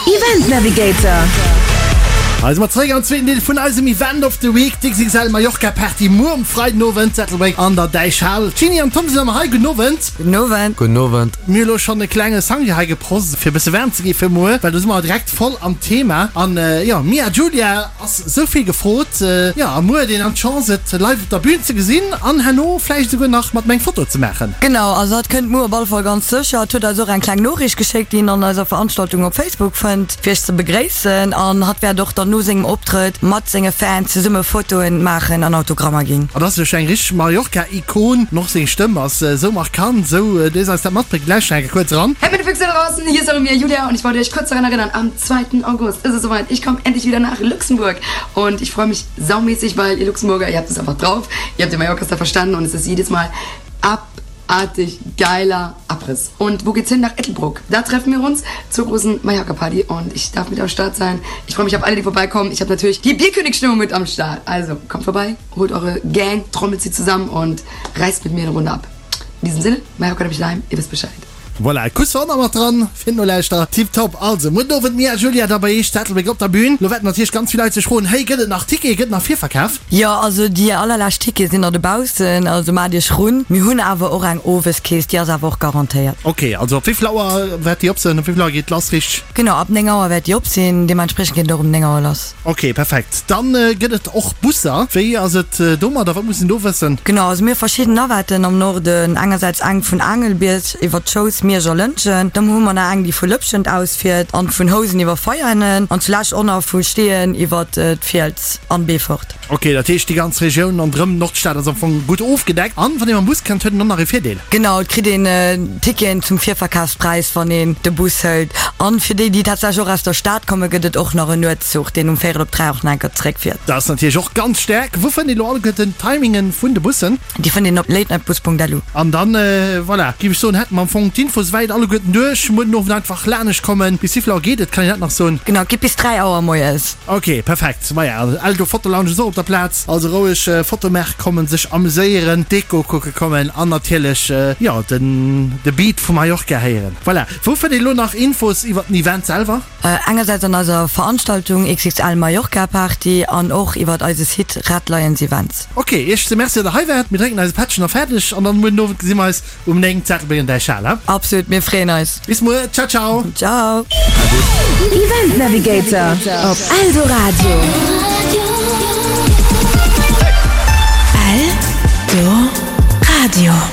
Event Navigator. Hei si mer zeréck am zweeten Deel vun eisem Event of the Week, d'XXL Mallorca Party muer um Freidenowend, Ettelbréck an der Däichhal. D'Jeanny an d'Tom sinn ëmmer hei. Gudden Owend. Gudden Owend. Gudden Owend. Mir hu lo schonn e klenge Sangria hei geprost, fir e bësse waarm ze gi fir muer, well do si mer direkt voll am Thema. An jo, Mia Julia ass esou vill gefrot. Jo, a muer huet een dann d'Chance et live op der Bühn ze gesinn an herno vläicht esouguer nach mat em eng Foto ze maachen. Genau, also hatt kënnt muer op alle Fall ganz sécher. Hatt huet eis och eng kleng Noriicht geschéckt, déi een an eiser Veranstaltung op Facebook fënnt, fir iech ze begréissen. An hatt wäert och dann no sengem Optrëtt mat senge Fans zesumme Fotoen maachen an Autogrammer ginn. An ass jo scho eng richteg Mallorca-Ikon. An och seng Stëmm ass esou markant, esou déi se eis dat matbréngt. Lauschtert eng Kéier kuerz eran. Hey meine Füchse da draußen, hier ist eure Mia Julia und ich wollte euch kurz daran erinnern, am 2. August ist es soweit, ich komme endlich wieder nach Luxemburg und ich freue mich saumäßig, weil ihr Luxemburger, ihr habt es einfach drauf, ihr habt den Mallorca-Star verstanden und es ist jedes Mal abartig geiler Abriss. Und wo geht's hin? Nach Ettelbruck. Da treffen wir uns zur großen Mallorca-Party und ich darf mit am Start sein. Ich freue mich auf alle, die vorbeikommen. Ich habe natürlich die Bierkönig-Stimmung mit am Start. Also kommt vorbei, holt eure Gang, trommelt sie zusammen und reißt mit mir eine Runde ab. In diesem Sinne, Mallorca nämlich daheim, ihr wisst Bescheid. Voilà, Kuss war och nach mat dran fir d'Nolauschterer. Tiptop. Also, muer den Owend Mia Julia da bei Eech zu Ettelbréck op der Bühn. Lo wäerten natierlech ganz vill Leit sech froen, Hey, gëtt et nach Tickete, gëtt et nach Virverkaf? Jo, also déi allerlescht Tickete sinn der dobaussen, also maacht iech run. Mir hunn awer och eng Oweskeess, déi ass awer och garantéiert. Ok, also op wéivill Auer wäert déi op sinn? Op wéivill Auer geet lass richteg? Genau, ab 9 Auer wäert déi op sinn, deementspriechend geet et och um 9 Auer lass. Ok, perfekt. Dann gëtt et och Busser. Wéi ass et domadder? Wat muss een do wëssen? Genau, also mir hu verschidden Navetten am Norden. Engersäits eng vun Aangelbierg iwwer d'Schous, Miersch a Lëntgen. Dann hu mer nach eng, déi vu Lëpschent aus fiert an vun Housen iwwer Veianen an zulescht och nach vu Steeën iwwer d'Fiels an Beefort. Ok, dat heescht déi ganz Regioun ronderëm d'Nordstad ass am Fong gutt ofgedeckt. An wann ee mam Bus kënnt, huet een och nach ee Virdeel. Genau, et kritt een Ticketen zum Virverkafspräis, wann een de Bus hëlt. An fir déi, déi tatsächlech och aus der Stad kommen, gëtt et och nach en Nuetszuch, deen um véierel op 3 och nach eng Kéier zeréckfiert. Dat ass natierlech och ganz staark. Wou fënnt een elo alleguerten d'Timingen vun de Bussen? Déi fënnt een op latenightbus.lu. An dann, voilà, géif ech soen, hätte mer am Fong d'Info souwäit alleguerten duerch. Muer den Owend einfach lanescht kommen. Bis wéivill Auer geet et? Kann een dat nach soen? Genau, et geet bis 3 Auer moies. Ok, perfekt. Maja, Eldo Foto Lounge ass och op der Plaz. Also roueg Foto maache kommen, sech amuséieren, Deko kucke kommen an natierlech, jo, den de Beat vu Mallorca héieren. Voilà. Wou fënnt een elo nach Infos iwwert den Event selwer? Engersäits an eiser Veranstaltung XXL Mallorca Party an och iwwert eise Site Red Lions Events. Ok, Iech ze Merci, datt der hei waart. Mir drénken eise Pättchen a fäerdeg an dann muer den Owend gesi mer eis Um 9 Zettelbréng an Däichhal, he? Absolut, mir freeën eis. Bis muer, ciao ciao. Ciao. Event Navigator op Eldoradio. Eldoradio.